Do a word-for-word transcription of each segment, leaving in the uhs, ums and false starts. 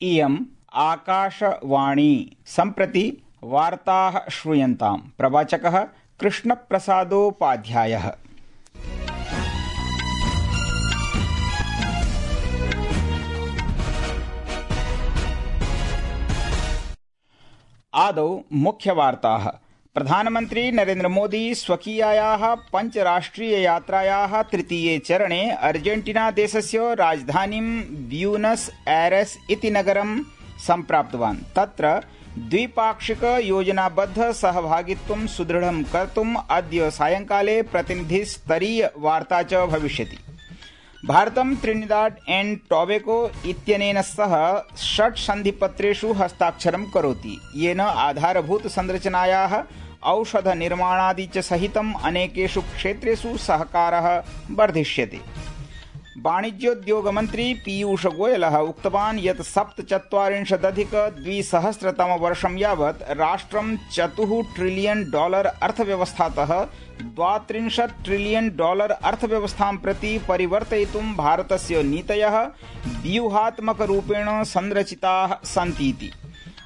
इयम् आकाशवाणी सम्प्रति वार्ताः श्रूयन्ताम्। प्रवाचकः कृष्णप्रसादोपाध्यायः। आदौ मुख्यवार्ताः। प्रधानमन्त्री नरेन्द्र मोदी स्वकीयायाः पञ्चराष्ट्रिययात्रायाः तृतीये चरणे अर्जेन्टीना देशस्य राजधानीं ब्यूनस् ऐरेस् इति नगरं सम्प्राप्तवान्। तत्र द्विपाक्षिक योजनाबद्ध सहभागित्वं सुदृढं कर्तुम् अद्य सायंकाले प्रतिनिधिस्तरीय वार्ता च भविष्यति। भारतं त्रिनिदाद एण्ड टोबैगो इत्यनेन सह षट् सन्धिपत्रेषु हस्ताक्षरं करोति, येन आधारभूत संरचनायाः औषध निर्माणादि च सहितम् अनेकेषु क्षेत्रेषु सहकारः वर्धिष्यते। वाणिज्योद्योगमन्त्री पीयूष गोयलः उक्तवान् यत् सप्तचत्वारिंशदधिक द्विसहस्रतमवर्षं यावत् राष्ट्रं चतुः ट्रिलियन् डॉलर अर्थव्यवस्थातः द्वात्रिंशत् ट्रिलियन् डॉलर अर्थव्यवस्थां प्रति परिवर्तयितुं भारतस्य नीतयः व्यूहात्मकरूपेण संरचिताः सन्तीति।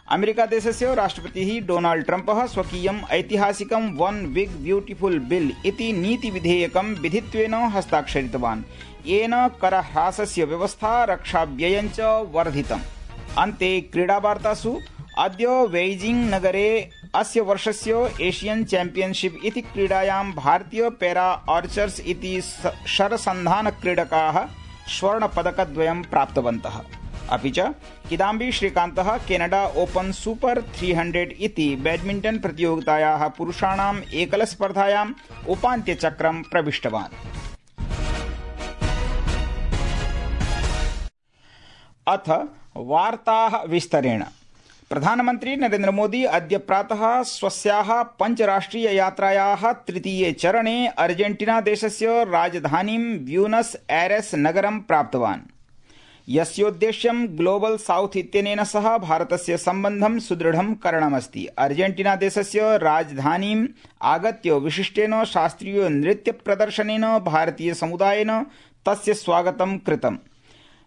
अमेरिकादेशस्य राष्ट्रपतिः डोनाल्ड ट्रम्पः स्वकीयम् ऐतिहासिकं वन बिग ब्यूटिफुल बिल इति नीतिविधेयकं विधित्वेन हस्ताक्षरितवान्, येन करह्रासस्य व्यवस्था रक्षाव्ययं च वर्धितम्। अन्ते क्रीडावार्तासु अद्य बेइजिंग नगरे अस्य वर्षस्य एशियन चैंपियनशिप इति क्रीडायां भारतीय पैरा आर्चर्स इति शरसन्धान क्रीडकाः स्वर्णपदकद्वयं प्राप्तवन्तः। अपि च किदाम्बी श्रीकान्तः Canada open super three hundred इति बैडमिंटन प्रतियोगितायाः पुरुषाणाम् एकलस्पर्धायाम् उपान्त्यचक्रं प्रविष्टवान्। अथ वार्ताः विस्तरेण। प्रधानमन्त्री नरेन्द्र मोदी अद्य प्रातः स्वस्याः पञ्चराष्ट्रिययात्रायाः तृतीये चरणे अर्जेन्टीना देशस्य राजधानीं ब्यूनस् ऐरेस् नगरं प्राप्तवान्, यस्योद्देश्यं ग्लोबल साउथ इत्यनेन सह भारतस्य सम्बन्धं सुदृढं करणमस्ति। अर्जेन्टीना देशस्य राजधानीम् आगत्य विशिष्टेन शास्त्रीय नृत्यप्रदर्शनेन भारतीय समुदायेन तस्य स्वागतं कृतम्।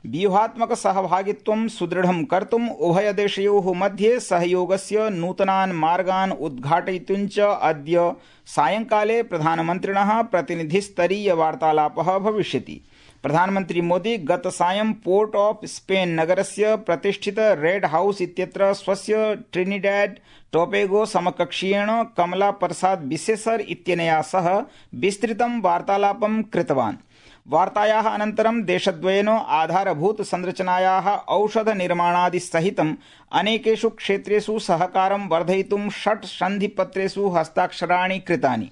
व्यूहात्मक सहभागित्वं सुदृढं कर्तुम् उभयदेशयोः मध्ये सहयोगस्य नूतनान् मार्गान् उद्घाटयितुं च अद्य सायंकाले प्रधानमन्त्रिणः प्रतिनिधिस्तरीय वार्तालापः भविष्यति। प्रधानमन्त्री मोदी गतसायं पोर्ट ऑफ स्पेन नगरस्य प्रतिष्ठित रेड हाउस इत्यत्र स्वस्य ट्रिनिडैड टोबैगो समकक्षीयेण कमला प्रसाद बिसेसर इत्यनया सह विस्तृतं वार्तालापं कृतवान्। वार्तायाः अनन्तरं देशद्वयेन आधारभूत संरचनायाः औषध निर्माणादि सहितम् अनेकेषु क्षेत्रेषु सहकारं वर्धयितुं षट् सन्धिपत्रेषु हस्ताक्षराणि कृतानि।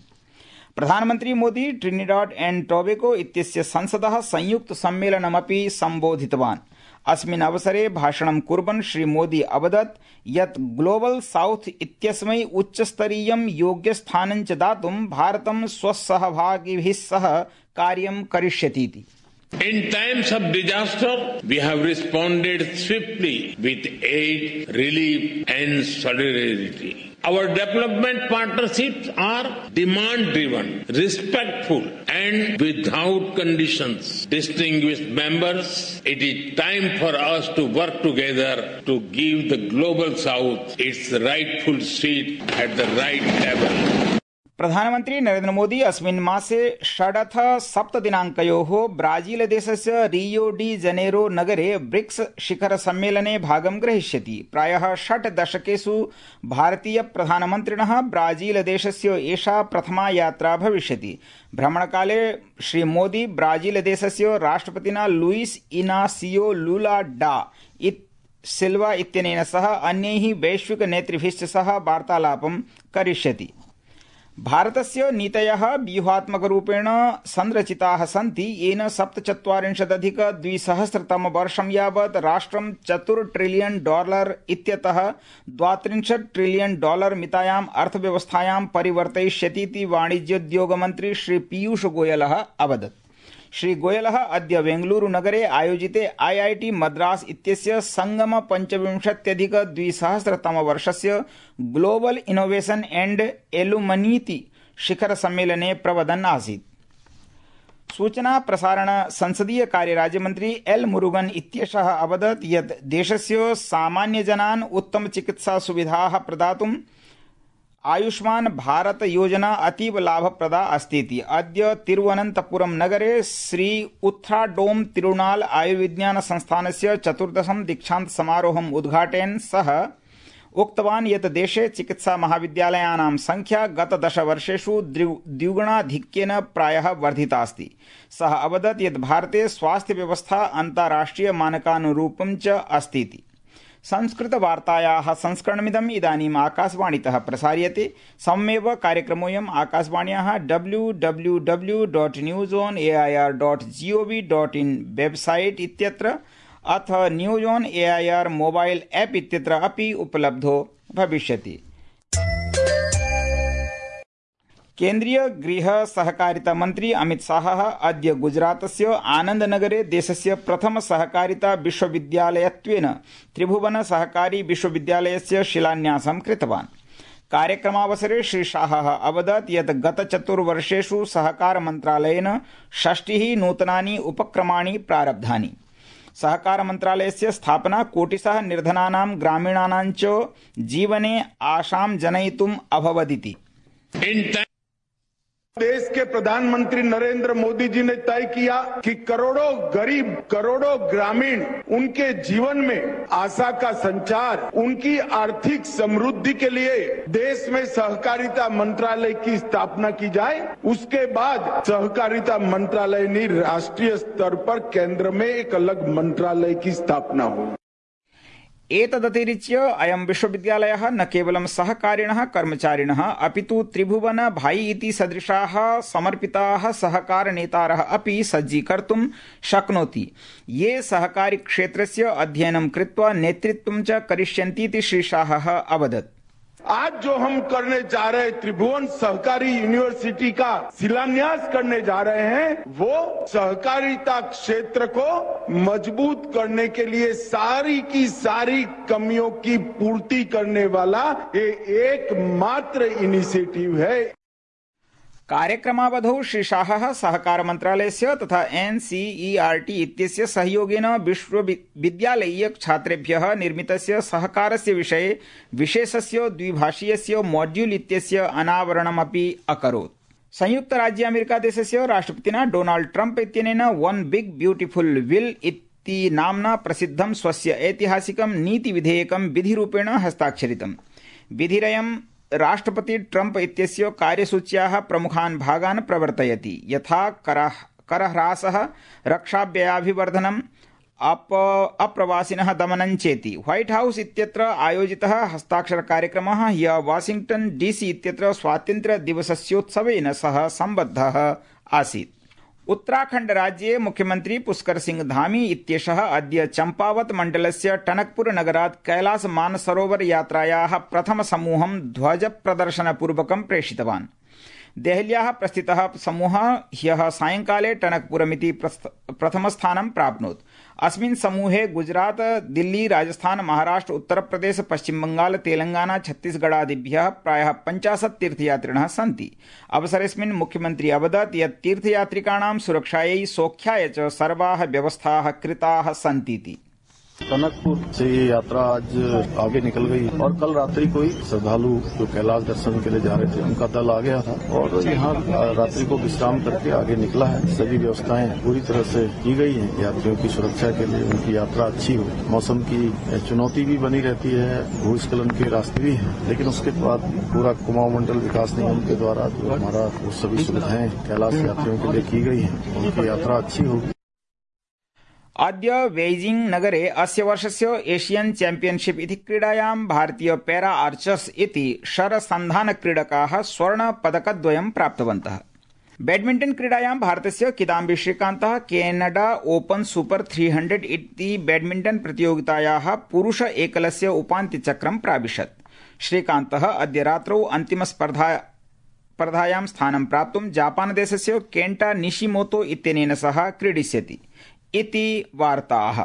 प्रधानमन्त्री मोदी ट्रिनिडाड एण्ड टोबैगो इत्यस्य संसदः संयुक्त सम्मेलनमपि सम्बोधितवान्। अस्मिन् अवसरे भाषणं कुर्वन् श्रीमोदी अवदत् यत् ग्लोबल साउथ इत्यस्मै उच्चस्तरीयं योग्यस्थानं च दातुं भारतं स्वसहभागिभिः सह कार्यं करिष्यतीति। In times of disaster, we have responded swiftly with aid, relief and solidarity. Our development partnerships are demand-driven, respectful and without conditions. Distinguished members, it is time for us to work together to give the Global South its rightful seat at the right table. प्रधानमन्त्री नरेन्द्र मोदी अस्मिन् मासे षडथ सप्तदिनाङ्कयोः Brazil देशस्य Rio de Janeiro नगरे BRICS शिखर सम्मेलने भागं ग्रहीष्यति। प्रायः षट् दशकेषु भारतीय प्रधानमन्त्रिणः ब्राजील देशस्य एषा प्रथमा यात्रा भविष्यति। भ्रमणकाले श्रीमोदी ब्राजील देशस्य राष्ट्रपतिना लुइस इनासियो लुला डा सिल्वा इत्यनेन सह अन्यैः वैश्विक नेतृभिश्च सह वार्तालापं करिष्यति। भारतस्य नीतयः व्यूहात्मकरूपेण संरचिताः सन्ति, येन सप्तचत्वारिंशदधिक द्विसहस्रतमवर्षं यावत् राष्ट्रं चतुर् ट्रिलियन् डॉलर इत्यतः द्वात्रिंशत् ट्रिलियन् डॉलर मितायाम् अर्थव्यवस्थायां परिवर्तयिष्यतीति वाणिज्योद्योगमन्त्री श्री पीयूष गोयलः अवदत्। श्री गोयलः अद्य बेंगलुरु नगरे आयोजिते आईआईटी मद्रास इत्यस्य संगम पञ्चविंशत्यधिक द्विसहस्रतमवर्षस्य ग्लोबल इनोवेशन एंड एलुमनीति शिखर सम्मेलने प्रवदन् आसीत्। सूचना प्रसारण संसदीय कार्य राज्यमन्त्री एल मुरुगन इत्येषः अवदत् यत् देशस्य सामान्यजनान् उत्तम चिकित्सा सुविधाः प्रदातुं आयुष्मान भारत योजना अतीव लाभप्रदा अस्तीति अद्य तिरुवनन्तपुरम नगरे श्री उत्थ्राडोम तिरुनाल आयुर्विज्ञान संस्थानस्य चतुर्दशं दीक्षान्त समारोहम् उद्घाटयन् सः उक्तवान् यत् देशे चिकित्सा महाविद्यालयानां संख्या गत दश वर्षेषु द्विगुणाधिक्येन प्रायः वर्धिता अस्ति। सः अवदत् यत् भारते स्वास्थ्य व्यवस्था अन्ताराष्ट्रिय मानकानुरूपं च अस्तीति। संस्कृतवार्तायाः संस्करणमिदम् इदानीम् आकाशवाणीतः प्रसार्यते। सममेव कार्यक्रमोऽयम् आकाशवाण्याः W W W dot news on A I R dot gov dot in website इत्यत्र अथ news on A I R mobile app इत्यत्र अपि उपलब्धो भविष्यति। केन्द्रीय गृह सहकारिता मन्त्री अमित शाहः अद्य गुजरातस्य आनन्दनगरे देशस्य प्रथम सहकारिता विश्वविद्यालयत्वेन त्रिभुवन सहकारी विश्वविद्यालयस्य शिलान्यासं कृतवान्। कार्यक्रमावसरे श्री शाहः अवदत् यत् गत चतुर्वर्षेषु सहकार मन्त्रालयेन षष्टिः नूतनानि उपक्रमाणि प्रारब्धानि। सहकार मन्त्रालयस्य स्थापना कोटिशः निर्धनानां ग्रामीणानां च जीवने आशां जनयितुम् अभवदिति। देश के प्रधानमंत्री नरेंद्र मोदी जी ने तय किया कि करोड़ों गरीब, करोड़ों ग्रामीण, उनके जीवन में आशा का संचार, उनकी आर्थिक समृद्धि के लिए देश में सहकारिता मंत्रालय की स्थापना की जाए। उसके बाद सहकारिता मंत्रालय ने राष्ट्रीय स्तर पर केंद्र में एक अलग मंत्रालय की स्थापना हो। एतदतिरिच्य अयं विश्वविद्यालयः न केवलं सहकारिणः कर्मचारिणः अपितु त्रिभुवन भाई इति सदृशाः समर्पिताः सहकार नेतारः अपि सज्जीकर्तुं शक्नोति, ये सहकारी क्षेत्रस्य अध्ययनं कृत्वा नेतृत्वं च करिष्यन्तीति श्री शाहः अवदत्। आज जो हम करने जा रहे त्रिभुवन सहकारी यूनिवर्सिटी का शिलान्यास करने जा रहे हैं, वो सहकारिता क्षेत्र को मजबूत करने के लिए सारी की सारी कमियों की पूर्ति करने वाला ये एकमात्र इनिशिएटिव है। कार्यक्रमावधौ श्री शाहः सहकार मन्त्रालयस्य तथा एनसीईआरटी इत्यस्य सहयोगेन विश्वविद्यालयीय छात्रेभ्यः निर्मितस्य सहकारस्य विषये विशेषस्य द्विभाषीयस्य मॉड्यूल इत्यस्य अनावरणमपि अकरोत्। संयुक्त राज्य अमेरिका देशस्य राष्ट्रपतिना डोनाल्ड ट्रम्प इत्यनेन वन बिग ब्यूटिफुल विल इति नाम्ना प्रसिद्धं स्वस्य ऐतिहासिकं नीतिविधेयकं विधिरूपेण हस्ताक्षरितम्। विधिरयं राष्ट्रपति ट्रम्प इत्यस्य कार्यसूच्याः प्रमुखान् भागान् प्रवर्तयति, यथा करह्रासः, रक्षाव्ययाभिवर्धनम्, अप अप्रवासिनः दमनं चेति। व्हाइट हाउस इत्यत्र आयोजितः हस्ताक्षर कार्यक्रमः ह्यः वाशिंग्टन डीसी इत्यत्र स्वातन्त्र्य दिवसस्योत्सवेन सह सम्बद्धः आसीत्। उत्तराखण्ड राज्ये मुख्यमन्त्री पुष्कर सिंह धामी इत्येषः अद्य चम्पावत मण्डलस्य टनकपुर नगरात् कैलास मानसरोवर यात्रायाः प्रथमसमूहं ध्वजप्रदर्शनपूर्वकं प्रेषितवान्। देहल्याः प्रस्थितः समूहः ह्यः सायंकाले टनकपुरमिति प्रथमस्थानं प्राप्नोत्। अस्मिन् समूहे गुजरात, दिल्ली, राजस्थान, महाराष्ट्र, उत्तरप्रदेश, पश्चिम बंगाल, तेलंगाना, छत्तीसगढ़ादिभ्यः प्रायः पञ्चाशत् तीर्थयात्रिणः सन्ति। अवसरेऽस्मिन् मुख्यमन्त्री अवदत् यत् तीर्थयात्रिकाणां सुरक्षायै सौख्याय च सर्वाः व्यवस्थाः कृताः सन्तीति। टनकपुर से ये यात्रा आज आगे निकल गई और कल रात्रि को ही श्रद्धालु जो कैलाश दर्शन के लिए जा रहे थे उनका दल आ गया था और यहाँ रात्रि को विश्राम करके आगे निकला है। सभी व्यवस्थाएं पूरी तरह से की गई हैं यात्रियों की सुरक्षा के लिए, उनकी यात्रा अच्छी हो। मौसम की चुनौती भी बनी रहती है, भूस्खलन के रास्ते भी हैं, लेकिन उसके बाद पूरा कुमाऊं मंडल विकास निगम के द्वारा जो हमारा वो सभी सुविधाएं कैलाश यात्रियों के लिए की गई हैं, उनकी यात्रा अच्छी होगी। अद्य बेइजिंग नगरे अस्य वर्षस्य एशियन चैम्पियनशिप इति क्रीडायां भारतीय पैरा आर्चर्स इति शरसन्धान क्रीडकाः स्वर्ण पदकद्वयं प्राप्तवन्तः। बैडमिंटन क्रीडायां भारतस्य किदाम्बी श्रीकान्तः Canada open super three hundred इति बैडमिंटन प्रतियोगितायाः पुरुष एकलस्य उपान्त्यचक्रं प्राविशत्। श्रीकान्तः अद्य रात्रौ अन्तिम स्पर्धा स्पर्धायां स्थानं प्राप्तुं जापानदेशस्य केन्टा निशिमोतो इत्यनेन सह क्रीडिष्यति इति वार्ताः।